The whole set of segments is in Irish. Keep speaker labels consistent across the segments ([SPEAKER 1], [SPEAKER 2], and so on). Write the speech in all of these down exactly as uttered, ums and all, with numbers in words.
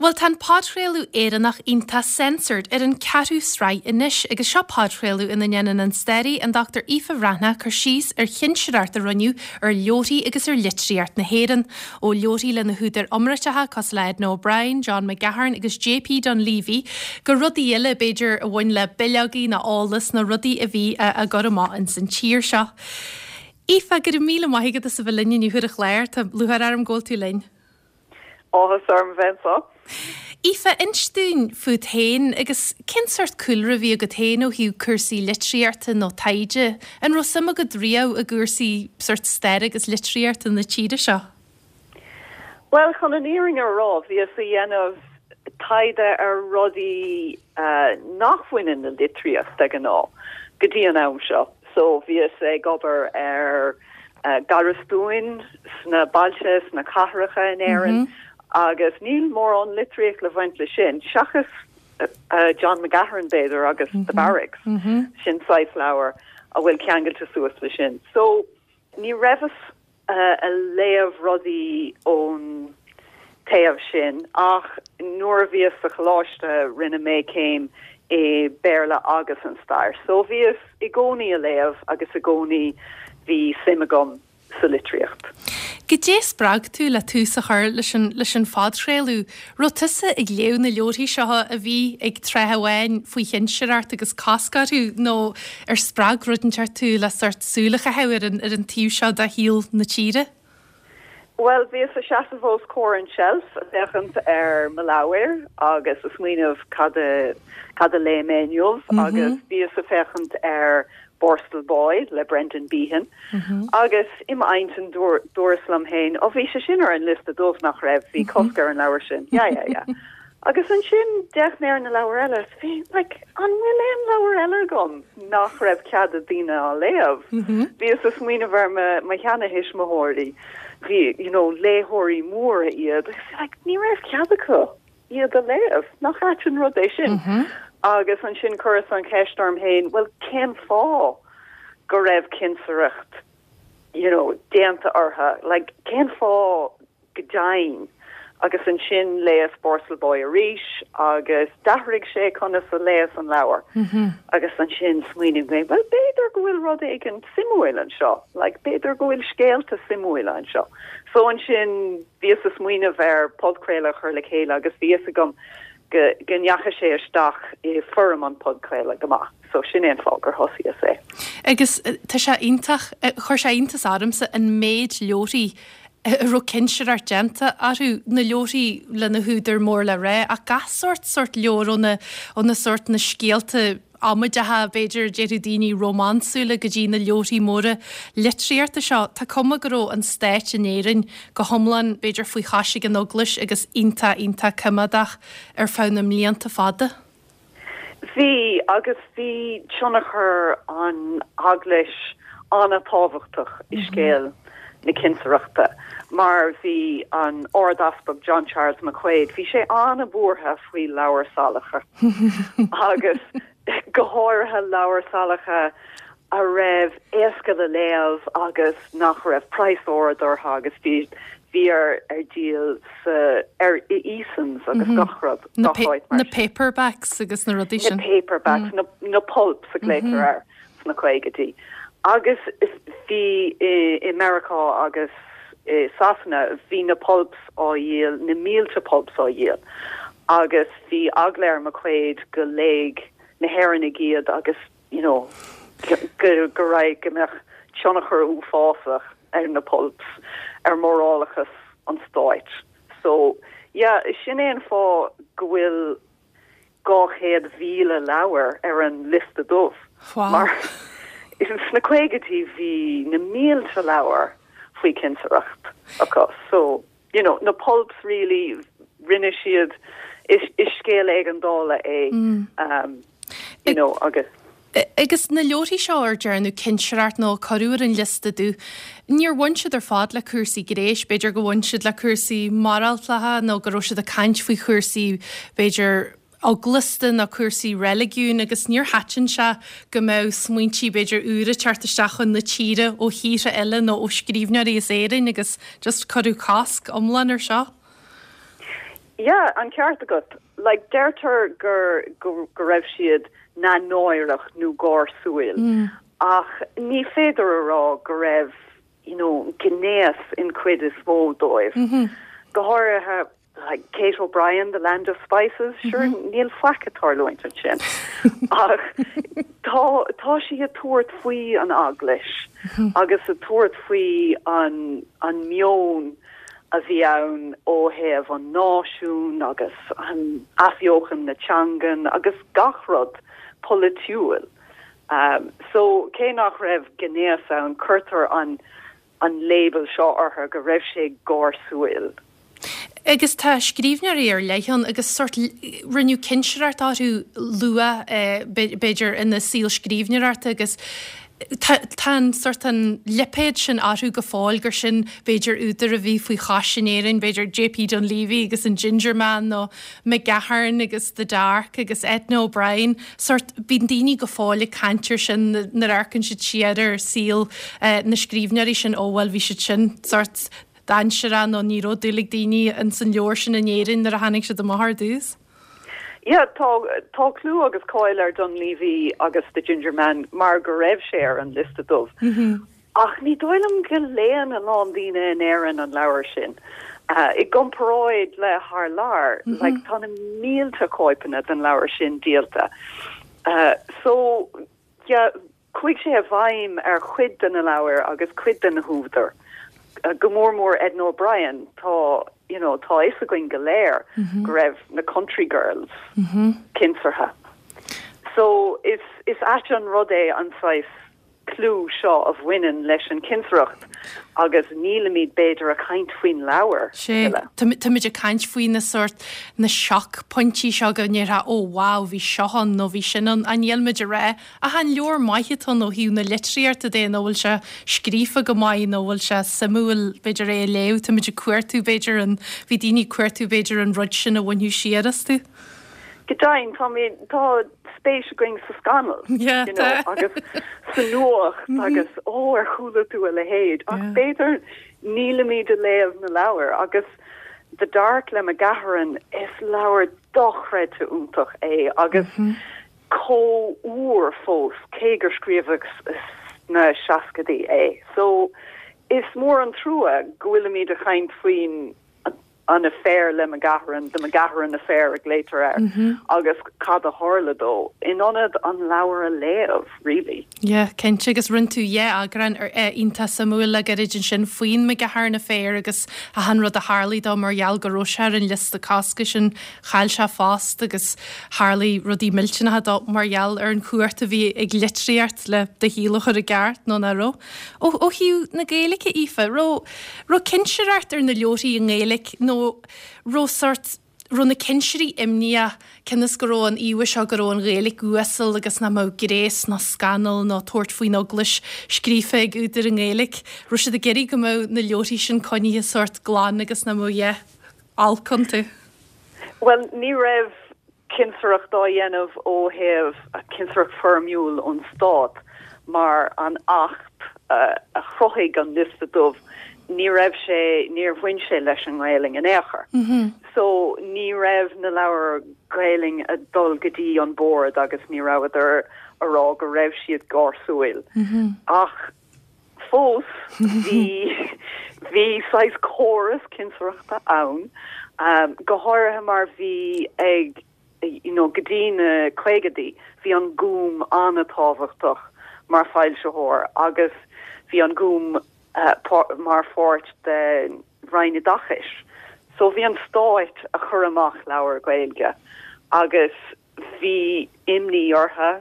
[SPEAKER 1] Bhuel tá an podchraoladh Éireannach iontach Censored ar an ceathrú sraith anois agus seo podchraoladh ina ndéanann an staraí an Dr Aoife Bhreathnach cur síos ar chinsireacht a rinneadh ar leabharthaí agus ar litríocht na hÉireann. Ó leabharthaí le na húdair iomráiteacha cosúil le Edna O'Brien, John McGahern agus JP Donleavy go rudaí eile b'fhéidir a bhain le bileogaí nó eolas na rudaí a bhí á gcur amach ins an tír seo. Aoife go raibh míle maith agat as a bheith linn inniu ar an chlár Tá lúcháir orm go bhfuil tú linn.
[SPEAKER 2] Áthas orm bheith anseo.
[SPEAKER 1] Aoife inis dúinn fút féin agus cén sórt cúlra a bhí agat féin ó thaobh cúrsaí litríochta nó taighde, an raibh suim agat riamh i gcúrsaí sórt staire agus litríochta na tíre seo?
[SPEAKER 2] Well chun an fhírinne a rá bhíos ag déanamh taighde ar rudaí uh, nach mbaineann le litríocht de ghnáth go dtí an am seo. So bhíos ag obair ar uh, garastúin sna bailte sna cathracha in Éirinn. Mm -hmm. agus níl mórán litríocht le bhaint le sin seachas uh, uh, John McGahern b'fhéidir agus mm -hmm. the Barracks mm -hmm. sin saghas leabhar a bhfuil ceangailte suas le sin. So ní raibheas uh, ag léamh rudaí ón taobh sin ach nuair a bhíos sa choláiste rinne mé céim i Béarla agus an stair. So bhíos i gcónaí ag léamh agus i gcónaí bhí suim agam sa litríocht.
[SPEAKER 1] Goidé spreag tú le tús a chur leis an leis an phodchraoladh, raibh tusa ag léamh na leabharthaí seo a bhí ag tráth amháin faoi chinsireacht agus cosc orthu nó ar spreag rud inteacht tú le sórt súil a chaitheamh ar an ar an taobh seo de shaol na tíre?
[SPEAKER 2] Well bhíos ag seasamh os comhair an shelf féachaint ar mo leabhair agus ag smaoineamh cad cad a léigh mé inniu mm -hmm. agus bhíos ag féachaint ar Borstal Boy le Brendan Behan mm -hmm. agus im intinn dúras liom féin ó bhí sé sin ar an liosta dubh nach raibh bhí cosc ar an leabhar sin. Ja ja ja. Agus ansin d'fhéach mé ar na leabhair eile bhí like, an bhfuil aon leabhar eile agam nach raibh cead ag daoine á léamh. Mm -hmm. Bhíos ag smaoineamh ar mo sheanathuismitheoirí bhí you know, léitheoirí móra iad like, ní raibh cead acu iad a léamh nach ait an rud é sin. Mm -hmm. Agus ansin chuireas an cheist orm féin, well cén fáth go raibh cinsireacht you know, déanta orthu, like, cén fáth go deimhin agus ansin léas Borstal Boy arís agus d'athraigh sé conas a léas an leabhar mm -hmm. agus ansin smaoinigh mé well b'fhéidir go bhfuil rud éigin suimiúil anseo like b'fhéidir go bhfuil scéalta suimiúil anseo so ansin bhíos ag smaoineamh ar podchraoladh a chur le chéile agus bhí a fhios agam go go ndeachaigh sé isteach i foirm an podchraoladh go maith so sin an fáth gur thosaíos é.
[SPEAKER 1] Agus tá sé iontach chuir sé iontas ormsa an méid leabharthaí a raibh cinsireacht déanta orthu na leabharthaí le na húdair mór le rá ach gach sórt sórt leabhar ó na ó na sórt na scéalta amaideacha b'fhéidir déarfadh daoine rómánsúla go dtí na leabharthaí móra litríochta seo Tá cuma go raibh an stát in Éirinn go hiomlán b'fhéidir faoi chois ag an Eaglais agus iontach iontach coimeádach ar feadh na mblianta fada.
[SPEAKER 2] Bhí agus bhí tionchar an Eaglais an-tábhachtach i scéal na cinsireachta mar bhí an Ardeaspag John Charles McQuaid, bhí sé an-bhuartha faoi leabhair salacha agus go háirithe leabhair salacha a raibh éasca le léamh agus nach raibh praghas ard orthu agus bhí bhí ar ar díol sa ar i Easons agus mm -hmm. gach rud
[SPEAKER 1] na, na paperbacks agus na rudaí sin.
[SPEAKER 2] Na paperbacks mm. na, na pulps a glaotar mm -hmm. air sna caogaidí. Agus bhí i, i Meiriceá agus i Sasana bhí na pulps á dhíol na mílte pulps á dhíol. Agus bhí eagla ar McQuaid go léifeadh na hÉireannaigh iad agus you know, go go raibh go mbeadh tionchar uafásach ar na pulps ar morálachas an stáit. So yeah, sin é an fáth go bhfuil dhá chéad míle leabhar ar an liosta dubh.
[SPEAKER 1] Wow.
[SPEAKER 2] Mar sna caogaidí bhí na mílte leabhar faoi cinsireacht acu. So you know, na pulps really rinne siad is, is scéal éigeandála é mm. um, you know, agus
[SPEAKER 1] Agus na leabharthaí seo ar dearnadh cinsireacht nó cuireadh ar an liosta dubh. Níor bhain siad ar fad le cúrsaí gnéis, b'fhéidir go bhain siad le cúrsaí moráltacha nó go raibh siad ag caint faoi chúrsaí b'fhéidir eaglasta nó cúrsaí reiligiún agus níor thaitin sé go mbeadh smaointí b'fhéidir úra ag teacht isteach chun na tíre ó thíortha eile nó ó scríbhneoirí as Éirinn agus just cuireadh cosc iomlán ar seo.
[SPEAKER 2] Yeah, an ceart agat. Like deirtear gur go, go raibh siad neamhnáireach nó gáirsiúil. Mm. Ach ní féidir a rá go raibh you know, gnéas in cuid is mó dóibh. Mm -hmm. Go háirithe like Kate O'Brien, The Land of Spices, mm -hmm. sure níl faic ag tarlúint ansin. Ach tá tá sí ag tabhairt faoi an eaglais mm -hmm. agus ag tabhairt faoi an an meon a bhí ann ó thaobh an náisiún agus an athbheochan na teangan agus gach rud polaitiúil. Um, so cé nach raibh gnéas ann cuirtear an an label seo orthu go raibh sé gáirsiúil.
[SPEAKER 1] Agus tá scríbhneoirí ar leith ann agus sort rinneadh cinsireacht orthu luath eh, b'fhéidir ina saol scríbhneoireachta agus tá an sort an lipéad sin orthu go fóill gur sin b'fhéidir údar a bhí faoi chois in Éirinn, b'fhéidir JP Dunleavy agus an Ginger Man nó McGahern agus The Dark agus Edna O'Brien, sort bíonn daoine go fóill ag caint air sin nuair a amharcann siad siar ar saol eh, na scríbhneoirí sin ó bhuel bhí siad sin sort dainséarach nó ní raibh dúil ag daoine in san leabhar sin in Éirinn nuair a tháinig siad amach ar dtús.
[SPEAKER 2] Yeah, tá tá clú agus cáil ar Dunleavy agus the Ginger Man mar go raibh sé ar an liosta dubh. Mm -hmm. Ach ní dóigh liom go léann a lán daoine in Éirinn an leabhar sin. Uh, I gcomparáid le thar lear, mm -hmm. like, tá na mílte cóipeanna den leabhar sin díolta. Uh, so yeah, chuaigh sé i bhfeidhm ar chuid de na leabhair agus cuid de na húdair. Uh, go mór mór Edna O'Brien tá you know, tá a fhios againn go léir mm -hmm. go raibh na country girls mm -hmm. cinseartha. So is is ait an rud é an saghas clú seo a bhaineann leis an cinsireacht agus nílimid b'fhéidir ag caint faoin leabhar.
[SPEAKER 1] Sé Táimid ag caint faoi na sort na seachpointí seo go ndéarfá ó wow bhí seo ann nó bhí sin ann an nílmid a rá a han leor maithe nó hiú na litríochta de nó bhfuil sé scríofa go maith nó bhfuil sé suimiúil b'fhéidir é a léamh Táimid ag cuartú b'fhéidir an bhí daoine cuartú b'fhéidir an rud sin a bhainfeadh siar astu.
[SPEAKER 2] Go deimhin tá tá spéis againn sa scannal
[SPEAKER 1] yeah,
[SPEAKER 2] you know, agus sa nuacht mm -hmm. agus ó ar chuala tú a leithéid ach yeah. b'fhéidir nílimid ag léamh na leabhar agus The Dark le McGahern is leabhar dochreidte iontach é agus mm -hmm. chomh úr fós cé gur scríobhadh sna seascaidí é. So is mór an trua go bhfuilimid ag caint faoin an affair le McGahern, the McGahern affair ag later air mm -hmm. agus cad a tharla dó in ionad an leabhar a léamh really.
[SPEAKER 1] Yeah, cinnte agus rinne tú yeah eagrán ar iontach suimiúil le gairid ansin faoin McGahern affair agus a han rud a tharla dó mar gheall go raibh sé ar an liosta cosctha sin chaill sé post agus tharla rudaí millteanacha dó mar gheall ar an chumhacht a bhí ag litríocht le do shaol a chur i gceart nó nach raibh. Ó ó thaobh na Gaeilge Aoife, raibh raibh cinsireacht ar na leabharthaí i nGaeilge nó raibh sort raibh na cinsirí imníoch cionn is go raibh an íomhá seo go raibh an Ghaeilge uasal agus nach mbeadh gnéas ná scannal ná tabhairt faoin eaglais scríofa ag údair i nGaeilge. Raibh siad ag iarraidh go mbeadh na leabharthaí sin coinnithe sort glan agus nach mbeadh yeah, olc iontu.
[SPEAKER 2] Well, ní raibh cinsireacht á dhéanamh ó thaobh cinsireacht foirmiúil ón stát mar an acht uh, a chruthaigh an liosta dubh ní raibh sé níor bhain sé leis an nGaeilge in aon chor.
[SPEAKER 1] Mm -hmm.
[SPEAKER 2] So ní raibh na leabhair Gaeilge ag dul go dtí an bord agus ní rabhadar ag rá go raibh siad gáirsiúil.
[SPEAKER 1] Mm -hmm.
[SPEAKER 2] Ach fós bhí bhí saghas córas cinsireachta ann um, go háirithe mar bhí ag you know, go dtí na caogaidí bhí an Gúm an-tábhachtach mar foilsitheoir agus bhí an Gúm uh, mar pháirt de Roinn Oideachais. So bhí an stát ag cur amach leabhar Gaeilge agus bhí imní orthu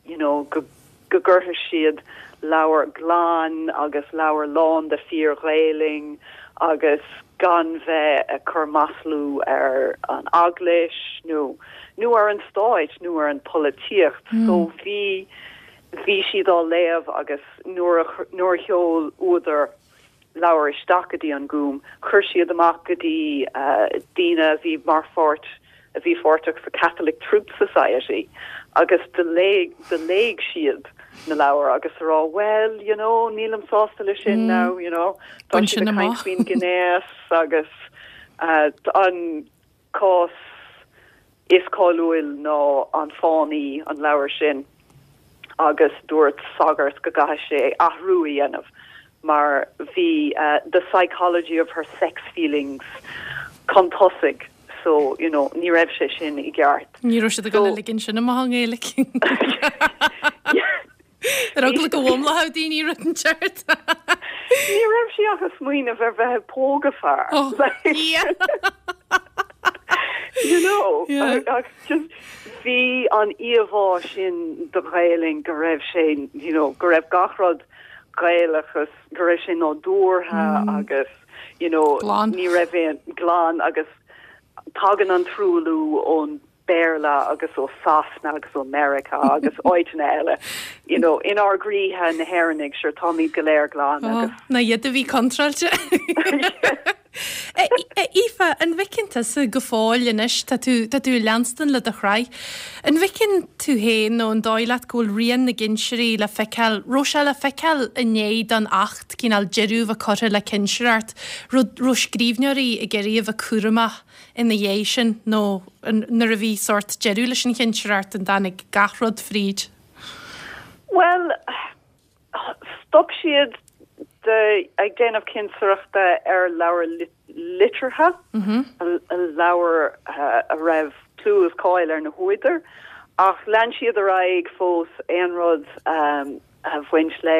[SPEAKER 2] you know, go go gcuirfeadh siad leabhar glan agus leabhar lán de fíor-Ghaeilge agus gan bheith ag cur maslú ar an eaglais nó nó ar an stát nó ar an polaitíocht mm. so bhí bhí siad á léamh agus nuair nuair a sheol údar leabhar isteach go dtí an Gúm, chuir siad amach go dtí uh, daoine a bhí mar pháirt a bhí páirteach sa Catholic Truth Society agus do léigh do léigh siad na leabhair agus rá well you know nílim sásta le sin mm. now you know
[SPEAKER 1] Tá
[SPEAKER 2] faoin gnéas agus uh, an cás is cáiliúil ná an Fánaí an leabhar sin agus dúirt sagart go gcaithfidh sé athrú a dhéanamh mar bhí uh, the psychology of her sex feelings chun tosaigh so you know ní raibh sé sin i gceart.
[SPEAKER 1] Ní raibh siad ag dul ligean sin amach i nGaeilge. Ar eagla go bhfoghlaimeodh daoine rud inteacht.
[SPEAKER 2] Ní raibh sí ach ag smaoineamh ar bheith ag pógadh fear.
[SPEAKER 1] Oh, yeah.
[SPEAKER 2] you know
[SPEAKER 1] Yeah.
[SPEAKER 2] ach just bhí an íomhá sin de Ghaelainn go raibh sé you know go raibh gach rud Gaelach agus go raibh sé nádúrtha mm. agus you know
[SPEAKER 1] Glan.
[SPEAKER 2] ní raibh aon glan agus tagann an truailliú ón Béarla agus ó Sasana agus ó America agus áiteanna eile you know inár gcroíthe na hÉireannaigh sure táimid go léir glan agus
[SPEAKER 1] Na iad a bhí contráilte. Aoife an bhfeiceann tusa go fóill anois tá tú tá tú leanstan le do shraith. An bhfeiceann tú féin nó an dóigh leat go bhfuil rian na gcinsirí le feiceáil raibh sé le feiceáil i ndiaidh don Acht cineál deireadh a chur le cinsireacht raibh raibh scríbhneoirí ag iarraidh a bheith cúramach ina dhiaidh sin nó an- nuair a bhí sórt deireadh leis an chinsireacht an dtáinig gach rud fríd.
[SPEAKER 2] Well, stop siad de ag déanamh cinsireachta ar leabhar lit liteartha a leabhar uh, a raibh clú is cáil ar na húdair ach lean siad ar aghaidh fós aon rud um, a bhain le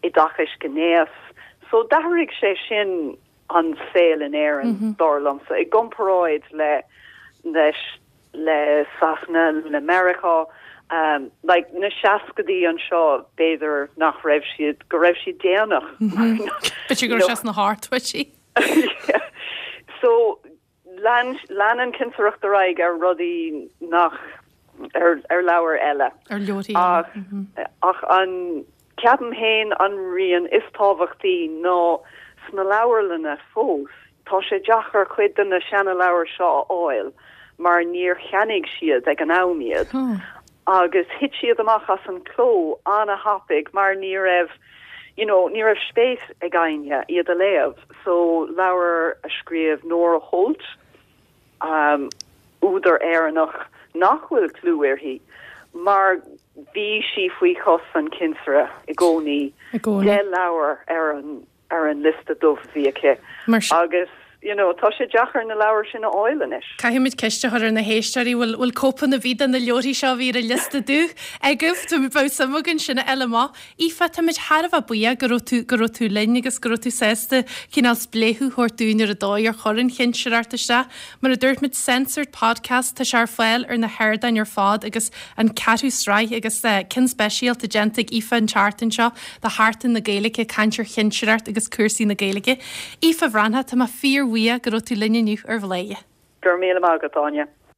[SPEAKER 2] oideachas gnéis so d'athraigh sé sin an saol in Éirinn mm -hmm. dar liomsa i gcomparáid le leis le Sasana le America um, like na seascaidí anseo b'fhéidir nach raibh siad go raibh siad déanach.
[SPEAKER 1] B'fhéidir go raibh sé na hardtí.
[SPEAKER 2] so lean lean an cinsireacht ar aghaidh ar rudaí nach ar ar leabhar eile.
[SPEAKER 1] Ar leoí
[SPEAKER 2] ach ach an ceapaim féin an rian is tábhachtaí ná sna leabharlanna fós tá sé deacair cuid de na seana leabhair seo a fháil mar níor cheannaigh siad ag an am iad.
[SPEAKER 1] Oh.
[SPEAKER 2] agus thit siad amach as an cló an-tapaidh mar ní raibh you know, ní raibh spéis ag éinne iad a léamh, so leabhar a scríobh Nora Holt um, údar Éireannach nach bhfuil clú uirthi, mar bhí sí faoi chos an chinsire i gcónaí
[SPEAKER 1] I gcónaí.
[SPEAKER 2] de leabhar ar an ar an liosta dubh bhí aici.
[SPEAKER 1] Mar sin-
[SPEAKER 2] Agus you know, tá sé deacair na leabhair sin a fháil anois.
[SPEAKER 1] Caithfimid ceist a chur ar na héisteoirí bhfuil bhfuil cóipeanna bhí na leabharthaí seo bhí ar an liosta dubh agaibh Tá bheadh suim againn sin a fháil amach. Aoife táimid thar a bheith buíoch go raibh tú go raibh tú linn agus go raibh tú sásta cineál spléachadh a thabhairt dúinn ar an dóigh ar chuir an chinsireacht isteach. Mar a dúirt muid Censored Podcast tá sé ar fáil ar na hardáin ar fad agus an ceathrú sraith agus uh, ceann speisialta déanta ag Aoife an tseachtain seo do Sheachtain na Gaeilge caint ar chinsireacht agus cúrsaí na Gaeilge. Aoife Bhreathnach tá mé fíorbhuíoch go raibh tú linn inniu ar Bhladhaire.
[SPEAKER 2] Gur míle maith agat Áine.